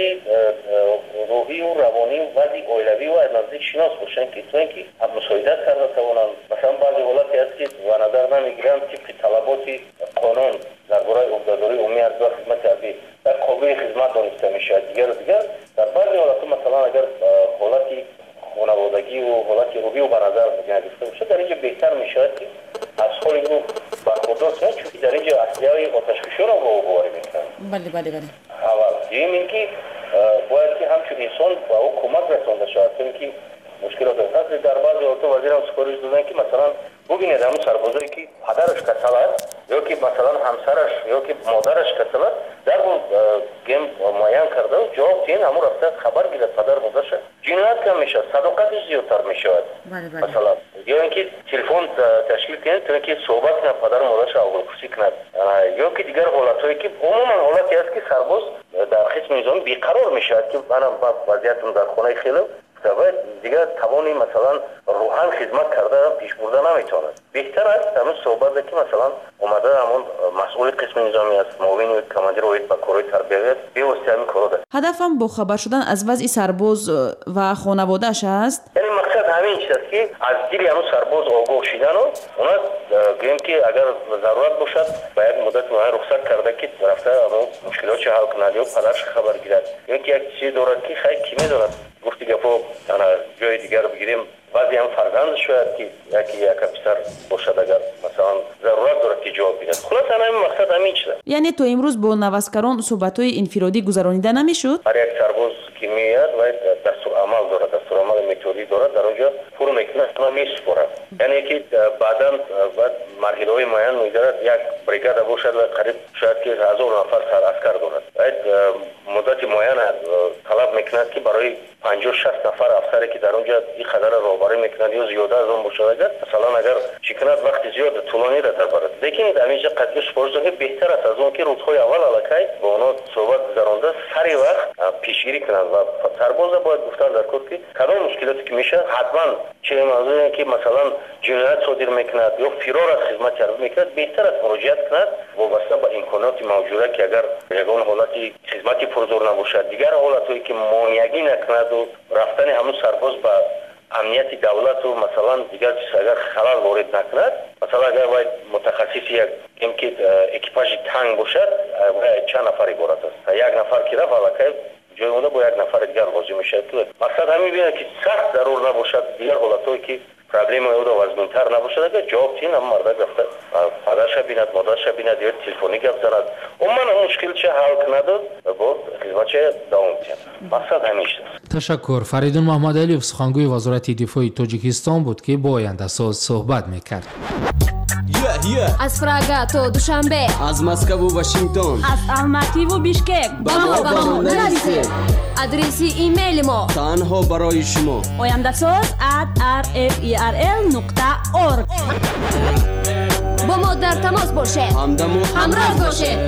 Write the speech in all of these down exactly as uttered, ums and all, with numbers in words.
Вазъияти рӯҳию равонию вазъи оилавию аз наздик шинос бошанд, ки то ин ки мусоидат карда тавонанд. Масалан, баъзе ҳолате ҳаст, ки ба назар намегиранд, тибқи талаботи қонун дар бораи ӯҳдадории умумии ҳарбӣ ва хизмати ҳарбӣ дар қобили хизмат дониста мешавад, дигару дигар. Дар баъзе ҳолатҳо, масалан, агар ҳолати хонаводагию ҳолати рӯҳию ба назар гирифта бошад, дар инҷо беҳтар мешавад, ки аз ҳоли ӯ бархурдор шаванд, чунки дар инҷо аслиҳаи оташфишонро ба ӯ боварӣ мекунанд. Бале, бале, бале. Аввал. Дуюм ин ки бояд ки ҳамчун инсон ба ӯ кӯмак расонда шавад, то ин ки мушкилот ҳаст. Дар баъзе ҳолатҳо вазирам супориш доданд, ки масалан бубинед, ҳамун сарбозое ки падараш касал аст ё ки масалан ҳамсараш ё ки модараш касал аст, дарҳол гем муайян карда ҷавоб диҳен, ҳамун рафта хабар гирад падар модарша. Ҷиноят кам мешавад, садоқатиш зиёдтар мешавад. Масалан, ё ин ки телефон ташкил кунед, то ин ки суҳбат кунад, падару модарша аҳволпурсӣ кунад, ё ки дигар ҳолатҳое ки умуман ҳолате аст, ки сарбоз дар қисми низомӣ беқарор мешавад, ки манам вазъиятам дар хонаи хеле ва дигар тавони масалан рӯҳан хизмат карда пеш бурда наметавонад. Беҳтар аст ҳамин суҳбате ки масалан омада ҳамон масъули қисми низомӣ аст, муовини командир оид ба корҳои тарбиявӣ аст, бевосита ҳамин корҳо. Ҳадафам бохабар шудан аз вазъи сарбоз ва хонаводааш аст. Яъне мақсад ҳамин чиз аст, ки аз дили ҳамон сарбоз огоҳ шидану она гӯем, ки агар зарурат бошад, ба як муддати муайян рухсат карда, ки рафта ҳамон мушкилотшо ҳал кунад ё падараш хабар гирад, ё ки як чизе дорад, ки хай, кӣ медонад, гуфти гапо, ана ҷои дигар бигирем, баъзе ҳам фарзанд шояд ки яке яка писар бошад, агар масалан зарурат дорад, ки ҷавоб бидад. Хулоса, ҳамин мақсад ҳамин чиз аст. Яъне то имрӯз бо наваскарон суҳбатҳои инфиродӣ гузаронида намешуд? Ҳар як сарбоз ки меояд, вай дастурамал дорад, дастурамали методӣ дорад, дар он ҷо пур мекунад, месупорад. Яъне ки баъдан баъд марҳилаҳои муайян мегузарад. Як бригада бошад ва қариб шояд ки ҳазор нафар сараскар дорад, муддати муайян талаб мекунад, ки барои панҷоҳ шаст нафар афсаре ки дар он ҷо ин қадарро роҳбарӣ мекунад ё зиёда аз он бошад, агар масалан агар чӣ кунад, вақти зиёд тӯлониро дарбарад. Лекин дар инҷа қатъи супориш дод, беҳтар аст аз он ки рӯзҳои аввал аллакай бо онҳо суҳбат гузаронда, сари вақт пешгирӣ кунанд. Ва сарбоза бояд гуфтан дар кор, ки кадом мушкилоте ки мешавад, ҳатман чӣ мавзӯе ки масалан ҷиноят содир мекунад ё фирор аз хизмати ҳарбӣ мекунад, беҳтар аст муроҷиат кунад вобаста ба имкониёти мавҷуда, ки агар ягон ҳолати хизмати пурзӯр набошад, дигар ҳолатҳое ки монеагӣ накунаду рафтани ҳамун сарбоз ба амнияти давлату масалан дигар чиз агар халал ворид накунад. Масалан, агар вай мутахассиси як ки экипажи танк бошад, вай чанд нафар иборат аст, як нафар ки рафт, аллакай ҷои онда бо як нафари дигар лозим мешавад. Мақсад ҳамин бинад, ки сахт зарур набошад, дигар ҳолатҳое ки проблемаи ӯро вазминтар набошад, агар ҷавоб тиҳин, ҳамон мардак рафта падарша бинад, модарша бинад ё телефонӣ гап занад, умуман мушкилча ҳал кунаду бо хизматча давом диҳад. Мақсад ҳамин чиз аст. Ташаккур. Фаридун Маҳмадалиев, сухангӯи Вазорати дифои Тоҷикистон буд, ки бо Ояндасоз суҳбат мекард. Аз Прага то Душанбе, аз Москву Вашингтон, аз Алмативу Бишкек. Ба мо нависед. Адреси имейли мо танҳо барои шумо: ояндасоз at rferl нуқта org. Бо мо дар тамос бошед. Ҳамдаму ҳамроз бошед.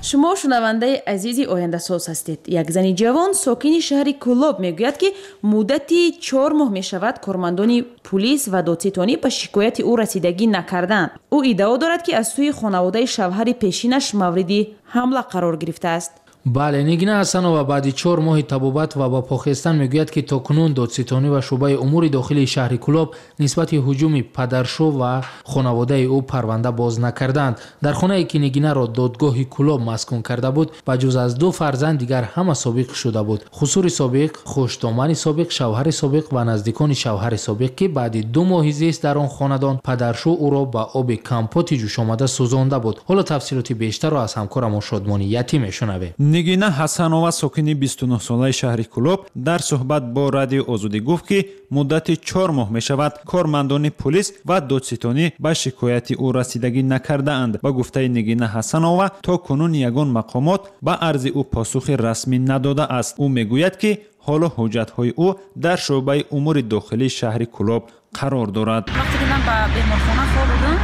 Шумо шунавандаи азизи Ояндасоз ҳастед. Як зани ҷавон, сокини шаҳри Кӯлоб, мегӯяд, ки муддати чор моҳ мешавад, кормандони пулис ва додситонӣ ба шикояти ӯ расидагӣ накарданд. Ӯ иддао дорад, ки аз сӯи хонаводаи шавҳари пешинаш мавриди ҳамла қарор гирифтааст. Бале, Нигина Ҳасанова баъди чор моҳи табобат ва ба похестан мегӯяд, ки то кунун додситонӣ ва шӯъбаи умури дохилии шаҳри Кӯлоб нисбати ҳуҷуми падаршу ва хонаводаи ӯ парванда боз накардаанд. Дар хонае, ки Нигинаро додгоҳи Кӯлоб маскун карда буд, ба ҷуз аз ду фарзанд дигар ҳама собиқ шуда буд: хусури собиқ, хушдомани собиқ, шавҳари собиқ ва наздикони шавҳари собиқ, ки баъди ду моҳи зист дар он хонадон падаршу ӯро ба оби компоти ҷӯшомада сӯзонда буд. Ҳоло тафсилоти бештарро аз ҳамкорамон Шодмони Ятим мешунавем. Нигина Ҳасанова, сокини бисту нӯҳ солаи шаҳри Кӯлоб, дар суҳбат бо Радиои Озодӣ гуфт, ки муддати чор моҳ мешавад, кормандони пулис ва додситонӣ ба шикояти ӯ расидагӣ накардаанд. Ба гуфтаи Нигина Ҳасанова, то кунун ягон мақомот ба арзи ӯ посухи расмӣ надодааст. Ӯ мегӯяд, ки ҳоло ҳуҷҷатҳои ӯ дар шӯъбаи умури дохилии шаҳри Кӯлоб қарор дорад. Вақте ки ман ба беморхона хобудам,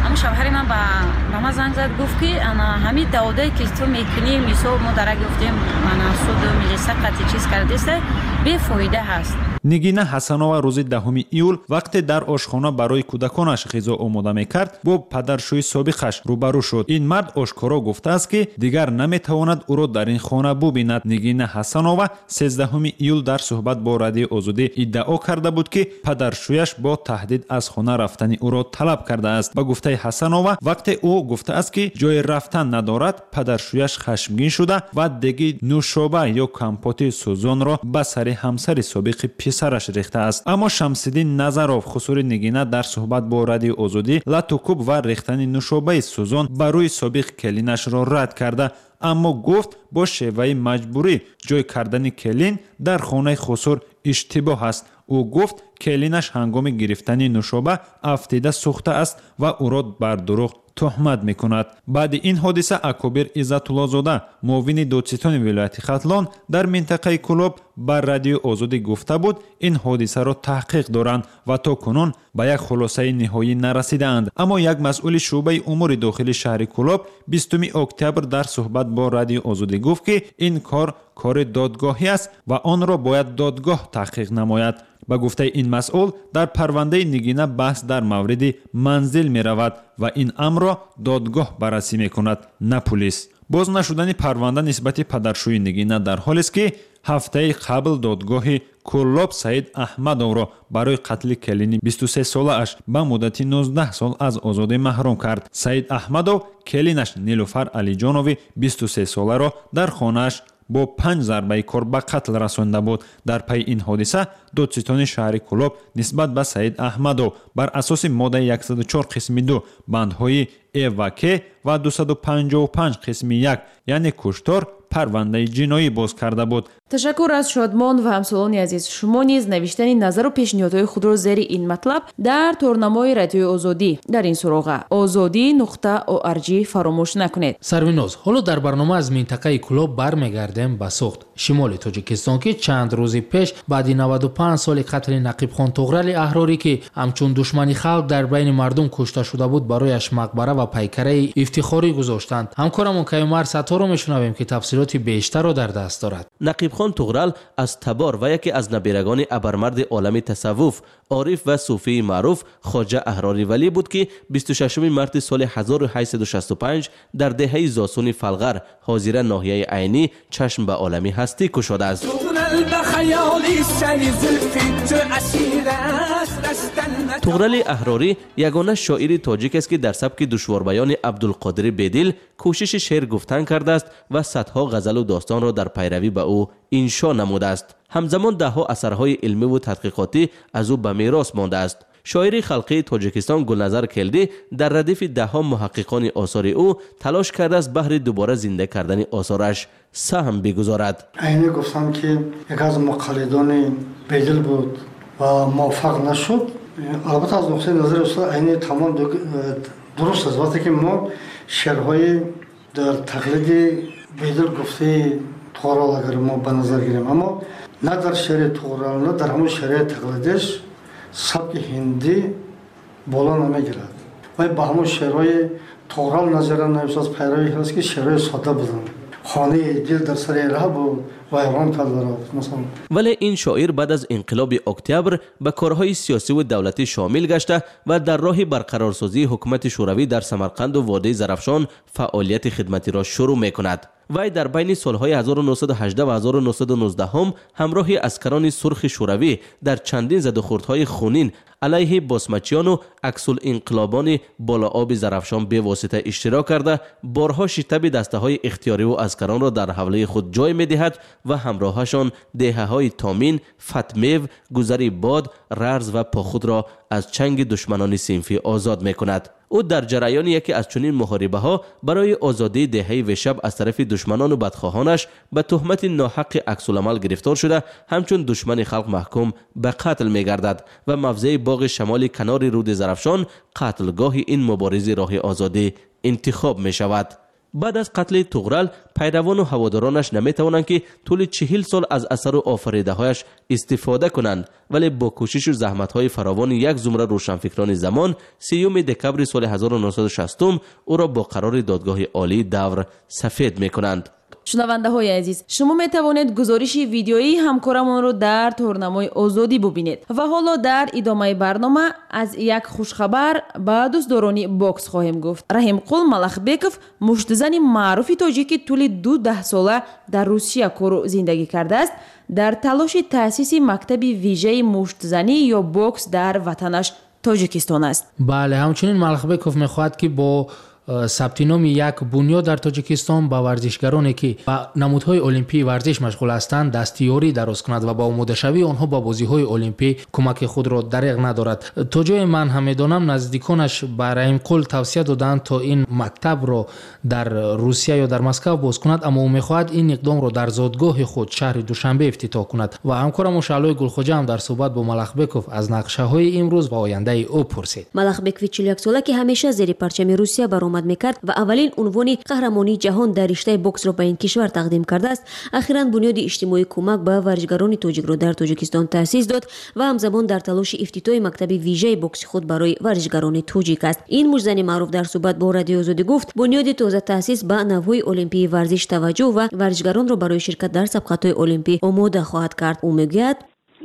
ҳамун шавҳари ман ба Ба ман занг зад, гуфт ки ана ҳамин даъводае ки ту мекунӣ, мисол мо дарак ёфтем, ана суду милиса қатъи чиз кардеста, бефоида ҳаст. Нигина Ҳасанова рӯзи даҳуми июл вақте дар ошхона барои кӯдаконаш ғизо омода мекард, бо падаршӯи собиқаш рӯбарӯ шуд. Ин мард ошкоро гуфтааст, ки дигар наметавонад ӯро дар ин хона бубинад. Нигина Ҳасанова сездаҳуми июл дар суҳбат бо Радиои Озодӣ иддао карда буд, ки падаршӯяш бо таҳдид аз хона рафтани ӯро талаб кардааст. Ба гуфтаи Ҳасанова, вақте ӯ гуфтааст, ки ҷои рафтан надорад, падаршӯяш хашмгин шуда ва деги нӯшоба ё компоти сӯзонро ба сари ҳамсари собиқи писараш рехтааст. Аммо Шамсиддин Назаров, хусури Нигина, дар суҳбат бо Радиои Озодӣ латукӯб ва рехтани нӯшобаи сӯзон ба рӯи собиқ келинашро рад карда, аммо гуфт бо шеваи маҷбурӣ ҷой кардани келин дар хонаи хусур иштибоҳ аст. Ӯ гуфт келинаш ҳангоми гирифтани нӯшоба афтида сӯхта аст ва ӯро бар дурӯғ туҳмат мекунад. Баъди ин ҳодиса Акобир Иззатуллозода, муовини додситони вилояти Хатлон дар минтақаи Кӯлоб, ба Радиои Озодӣ гуфта буд, ин ҳодисаро таҳқиқ доранд ва то кунун ба як хулосаи ниҳоӣ нарасидаанд. Аммо як масъули шӯъбаи умури дохили шаҳри Кӯлоб бистуми октябр дар суҳбат бо Радиои Озодӣ гуфт, ки ин кор кори додгоҳӣ аст ва онро бояд додгоҳ таҳқиқ намояд. Ба гуфтаи ин масъул, дар парвандаи Нигина баҳс дар мавриди манзил меравад ва ин амрро додгоҳ баррасӣ мекунад, на пулис. Боз нашудани парванда нисбати падаршӯи Нигина дар ҳолест, ки ҳафтаи қабл додгоҳи Кӯлоб Саид Аҳмадовро барои қатли келини бисту се солааш ба муддати нуздаҳ сол аз озодӣ маҳрум кард. Саид Аҳмадов келинаш Нилуфар Алиҷонови бисту се соларо дар хонааш бо панҷ зарбаи кор ба қатл расонда буд. Дар пайи ин ҳодиса додситони шаҳри Кӯлоб нисбат ба Саид Аҳмадов бар асоси моддаи яксаду чор қисми ду бандҳои Э ва К ва дусаду панҷоҳу панҷ қисми як, яъне куштор, парвандаи ҷиноӣ боз карда буд. Ташаккур аз Шодмон ва ҳамсолони азиз. Шумо низ навиштани назару пешниҳодҳои худро зери ин матлаб дар торнамои Радиои Озодӣ дар ин суроға озодӣ нуқта орг фаромӯш накунед. Сарвиноз, ҳоло дар барнома аз минтақаи Кӯлоб бармегардем ба Суғд, шимоли Тоҷикистон, ки чанд рӯзи пеш баъди наваду панҷ соли қатли Нақибхон Туғрали Аҳрорӣ, ки ҳамчун душмани халқ дар байни мардум кушта шуда буд, барояш мақбара ва пайкараи ифтихорӣ гузоштанд. Ҳамкорамон Каюмар Сатторо мешунавем, ки тафсилоти бештарро дар даст дорад. Нақибхон Туғрал аз табор ва яке аз набирагони абармарди олами тасаввуф, ориф ва суфии маъруф Хоҷа Аҳрори Валӣ буд, ки бисту шашуми марти соли ҳазору ҳаштсаду шасту панҷ дар деҳаи Зосуни Фалғар, ҳозира ноҳияи Айнӣ, чашм ба олами ҳастӣ кушодааст. Туғрали Аҳрорӣ ягона шоири тоҷик аст, ки дар сабки душворбаёни Абдулқодири Бедил кӯшиши шеър гуфтан кардааст ва садҳо ғазалу достонро дар пайравӣ ба ӯ иншо намудааст. Ҳамзамон даҳҳо асарҳои илмиву тадқиқотӣ аз ӯ ба мерос мондааст. Шоири халқии Тоҷикистон Гулназар Келдӣ дар радифи даҳҳо муҳаққиқони осори ӯ талош кардааст баҳри дубора зинда кардани осораш саҳм бигузорад. Айнӣ гуфтам, ки яке аз муқаллидони Бедил буд ва муваффақ нашуд. Албатта аз нуқтаи назари устод Айнӣ тамом дуруст аст. Вақте ки мо шеърҳои дар тақлиди Бедил гуфтаи Туғрал агар мо ба назар гирем, аммо на дар шеъри Туғрал, на дар ҳамон шеъри тақлидиш сабки ҳиндӣ боло намегирад. Вай ба ҳамон шеърҳои Туғрал назира нависаз пайравӣ ҳаст, ки шеърҳои сода буданд. Хонаи дил дар сари раҳ буд, вайрон карда масалан. Вале ин шоир баъд аз инқилоби октябр ба корҳои сиёсиву давлатӣ шомил гашта ва дар роҳи барқарорсозии ҳукумати шӯравӣ дар Самарқанду водии Зарафшон фаъолияти хидматиро шурӯъ мекунад. Вай дар байни солҳои ҳазору нӯҳсаду ҳаждаҳ ва ҳазору нӯҳсаду нуздаҳум ҳамроҳи аскарони сурхи шӯравӣ дар чандин задухӯрдҳои хунин алайҳи босмачиёну аксулинқилобони болооби Зарафшон бевосита иштирок карда, борҳо шитаби дастаҳои ихтиёриву аскаронро дар ҳавлаи худ ҷой медиҳад ва ҳамроҳашон деҳаҳои Томин, Фатмев, Гузари Бод, Рарз ва Похудро аз чанги душманони синфӣ озод мекунад. Ӯ дар ҷараёни яке аз чунин муҳорибаҳо барои озодии деҳаи Вешаб аз тарафи душманону бадхоҳонаш ба туҳмати ноҳаққи аксуламал гирифтор шуда, ҳамчун душмани халқ маҳкум ба қатл мегардад ва мавзеи боғи шамоли канори руди Зарафшон қатлгоҳи ин муборизи роҳи озодӣ интихоб мешавад. Баъд аз қатли Туғрал пайравону ҳаводоронаш наметавонанд, ки тӯли чиҳил сол аз асару офаридаҳояш истифода кунанд, вале бо кӯшишу заҳматҳои фаровони як зумра рӯшанфикрони замон сиюми декабри соли ҳазору нӯҳсаду шастум ӯро бо қарори додгоҳи олии давр сафед мекунанд. Шунавандаҳои азиз, шумо метавонед гузориши видеоии ҳамкорамонро дар торнамои Озодӣ бубинед. Ва ҳоло дар идомаи барнома аз як хушхабар ба дӯстдорони бокс хоҳем гуфт. Раҳимқул Малахбеков, муштзани маъруфи тоҷик, ки тӯли ду даҳсола дар Русия кору зиндагӣ кардааст, дар талоши таъсиси мактаби вижаи муштзанӣ ё бокс дар ватанаш Тоҷикистон аст. Бале, ҳамчунин Малахбеков мехоҳад, ки бо сабти номи як бунёд дар Тоҷикистон ба варзишгароне, ки ба намудҳои олимпии варзиш машғул ҳастанд, дастиёрӣ дароз кунад ва ба омодашавии онҳо ба бозиҳои олимпӣ кӯмаки худро дареғ надорад. То ҷое ман ҳам медонам, наздиконаш ба Раҳимқул тавсия доданд, то ин мактабро дар Русия ё дар Москав боз кунад, аммо ӯ мехоҳад ин иқдомро дар зодгоҳи худ, шаҳри Душанбе, ифтитоҳ кунад. Ва ҳамкорам Шаълои Гулхоҷа ҳам дар суҳбат бо Малахбеков аз нақшаҳои имрӯз ва ояндаи ӯ пурсид. Малахбекови чилу яксола, ки ҳамеша зери парчами Русия баромад мекард ва аввалин унвони қаҳрамонии ҷаҳон дар риштаи боксро ба ин кишвар тақдим кардааст, ахиран бунёди иҷтимоии кӯмак ба варзишгарони тоҷикро дар Тоҷикистон таъсис дод ва ҳамзамон дар талоши ифтитоҳи мактаби вижаи бокси худ барои варзишгарони тоҷик аст. Ин муштзани маъруф дар суҳбат бо Радиои Озодӣ гуфт, бунёди тоза таъсис ба навъҳои олимпии варзиш таваҷҷӯҳ ва варзишгаронро барои ширкат дар сабқатҳои олимпӣ омода хоҳад кард. Ӯ мегӯяд: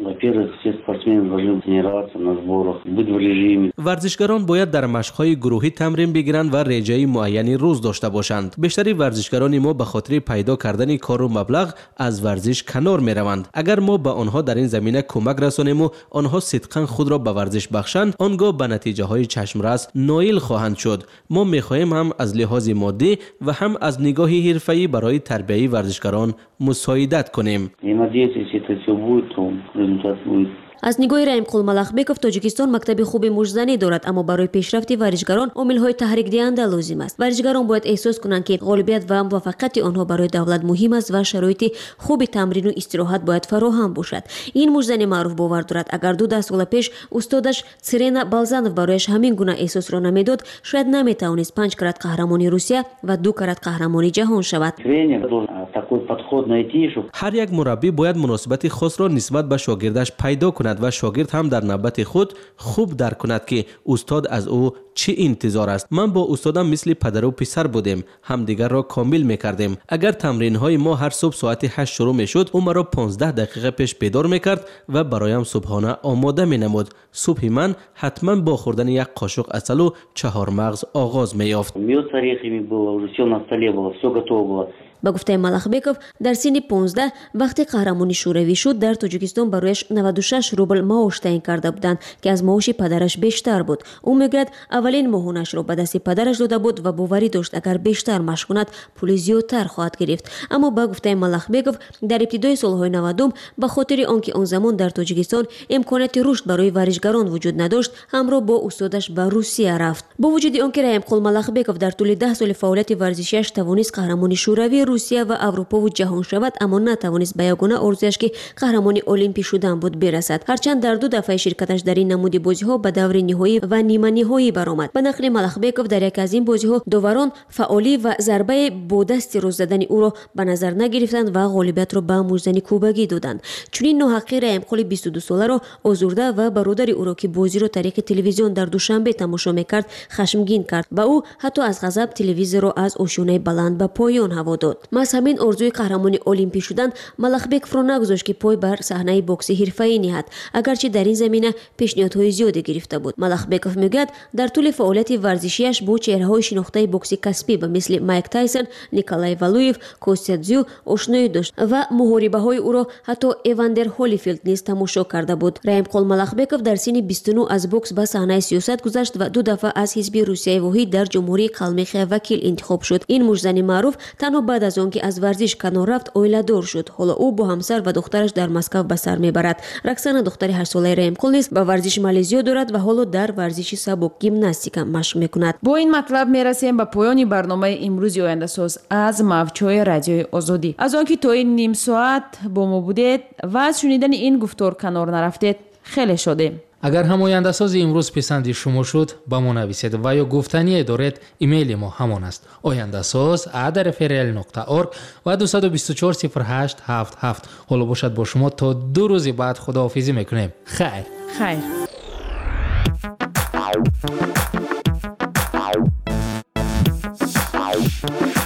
Во-первых, все спортсмены должны тренироваться на сборах, быть в режиме. Варзишгарон бояд дар машқҳои гурӯҳӣ тамрин бигиранд ва реҷаи муайяни рӯз дошта бошанд. Бештари варзишгарони мо ба хотири пайдо кардани кору маблағ аз варзиш канор мераванд. Агар мо ба онҳо дар ин замина кӯмак расонему онҳо сидқан худро ба варзиш бахшанд, он гоҳ ба натиҷаҳои чашмрас ноил хоҳанд шуд. Мо мехоҳем ҳам аз лиҳози моддӣ ва ҳам аз нигоҳи ҳирфаӣ барои тарбияи варзишгарон мусоидат кунем. И надеюсь, если это все будет, то результат будет. Аз нигоҳи Раҳимқул Малахбеков, Тоҷикистон мактаби хуби муштзанӣ дорад, аммо барои пешрафти варзишгарон омилҳои таҳрикдиҳанда лозим аст. Варзишгарон бояд эҳсос кунанд, ки ғолибият ва муваффақияти онҳо барои давлат муҳим аст ва шароити хуби тамрину истироҳат бояд фароҳам бошад. Ин муштзани маъруф бовар дорад, агар ду даҳсола пеш устодаш Цирена Балзанов барояш ҳамин гуна эҳсосро намедод, шояд наметавонист панҷ карат қаҳрамони Русия ва ду карат қаҳрамони ҷаҳон шавад. Тренер должен такой подход найти, чтобы Ҳар як мураббӣ бояд муносибати хосро нисбат ба шогирдаш пайдо кунад ва шогирд ҳам дар навбати худ хуб дарк кунад, ки устод аз ӯ чӣ интизор аст. Ман бо устодам мисли падару писар будем, ҳамдигарро комил мекардем. Агар тамринҳои мо ҳар субҳ соати ҳашт шурӯъ мешуд, ӯ маро понздаҳ дақиқа пеш бедор мекард ва бароям субҳона омода менамуд. Субҳи ман ҳатман бо хӯрдани як қошуқ асалу чаҳормағз оғоз меёфт. Мед с орехами было, уже все на столе было, все готово было. Ба гуфтаи Малахбеков, дар синни понздаҳ, вақте қаҳрамони шӯравӣ шуд, дар Тоҷикистон барояш наваду шаш рубл маош таъин карда буданд, ки аз маоши падараш бештар буд. Ӯ мегӯяд, аввалин моҳонашро ба дасти падараш дода буд ва боварӣ дошт, агар бештар машқ кунад, пули зиёдтар хоҳад гирифт. Аммо ба гуфтаи Малахбеков, дар ибтидои солҳои навадум, ба хотири он ки он замон дар Тоҷикистон имконияти рушд барои варзишгарон вуҷуд надошт, ҳамроҳ бо устодаш ба Русия рафт. Бо вуҷуди он ки Раҳимқул Малахбеков дар тӯли даҳ соли фаъолияти варзишиаш тавонист қаҳрамони Шӯравӣ, Русия ва Аврупову ҷаҳон шавад, аммо натавонист ба ягона орзуяш, ки қаҳрамони олимпӣ шудан буд, бирасад. Ҳарчанд дар ду дафъаи ширкаташ дар ин намуди бозиҳо ба даври ниҳоӣ ва ниманиҳоӣ баромад. Ба нақли Малахбеков, дар яке аз ин бозиҳо доварон фаъолӣ ва зарбаи бо дасти рост задани ӯро ба назар нагирифтанд ва ғолибиятро ба муштзани кубагӣ доданд. Чунин ноҳаққӣ Раҳимқули бисту дусоларо озурда ва бародари ӯро, ки бозиро тариқи телевизион дар Душанбе тамошо мекард, хашмгин кард ва ӯ ҳатто аз ғазаб телевизорро аз ошёнаи баланд ба поён ҳаво дод. Маҳз ҳамин орзуи қаҳрамони олимпӣ шудан Малахбековро нагузошт, ки пой бар саҳнаи бокси ҳирфаӣ ниҳад, агарчи дар ин замина пешниҳодҳои зиёде гирифта буд. Малахбеков мегӯяд, дар тӯли фаъолияти варзишиаш бо чеҳраҳои шинохтаи бокси касбӣ ба мисли Майк Тайсон, Николай Валуев, Костя Дзю ошноӣ дошт ва муҳорибаҳои ӯро ҳатто Эвандер Ҳолифилд низ тамошо карда буд. Раҳимқул Малахбеков дар синни бисту нӯҳ аз бокс ба саҳнаи сиёсат гузашт ва ду дафъа аз ҳизби Русияи воҳид дар Ҷумҳурии Қалмиқия вакил интихоб шуд. Ин муштзани маъруф танҳо баъд аз он ки аз варзиш канор рафт, оиладор шуд. Ҳоло ӯ бо ҳамсар ва духтараш дар Москав ба сар мебарад. Роксана, духтари ҳаштсолаи Раҳимқул, низ ба варзиш майли зиёд дорад ва ҳоло дар варзиши сабук, гимнастика машқ мекунад. Бо ин матлаб мерасем ба поёни барномаи имрӯзи Ояндасоз аз мавҷҳои Радиои Озодӣ. Аз он ки то ин ним соат бо мо будед ва аз шунидани ин гуфтор канор нарафтед, хеле шодем. Агар ҳам ояндасози имрӯз писанди шумо шуд, ба мо нависед ва ё гуфтание доред, имейли мо ҳамон аст: ояндасоз а дар фрл нуқта орг ва дусаду бисту чор сифр ҳашт ҳафт ҳафт. Ҳоло бошад бо шумо то ду рӯзи баъд худоҳофизӣ мекунем. Хайр. Хайр. Thank you.